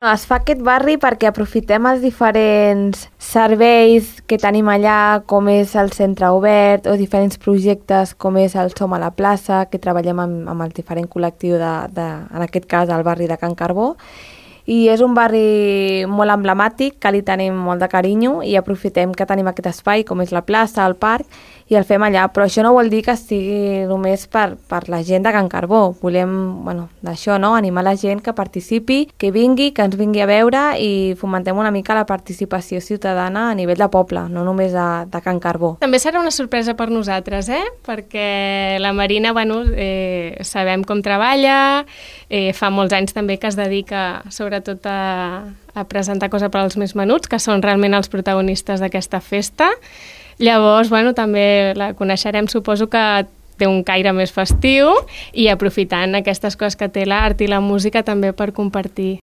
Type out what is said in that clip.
Es fa aquest barri perquè aprofitem els diferents serveis que tenim allà, com és el centre obert o diferents projectes com és el Som a la plaça, que treballem amb el diferent col·lectiu en aquest cas, el barri de Can Carbó. I és un barri molt emblemàtic, que li tenim molt de carinyo i aprofitem que tenim aquest espai, com és la plaça, el parc, i el fem allà. Però això no vol dir que estigui només per la gent de Can Carbó. Volem, d'això, no?, animar la gent que participi, que vingui, que ens vingui a veure i fomentem una mica la participació ciutadana a nivell de poble, no només de Can Carbó. També serà una sorpresa per nosaltres, perquè la Marina, sabem com treballa, fa molts anys també que es dedica sobretot a presentar coses per als més menuts, que són realment els protagonistes d'aquesta festa. Llavors, també la coneixerem, suposo que té un caire més festiu i aprofitant aquestes coses que té l'art i la música també per compartir.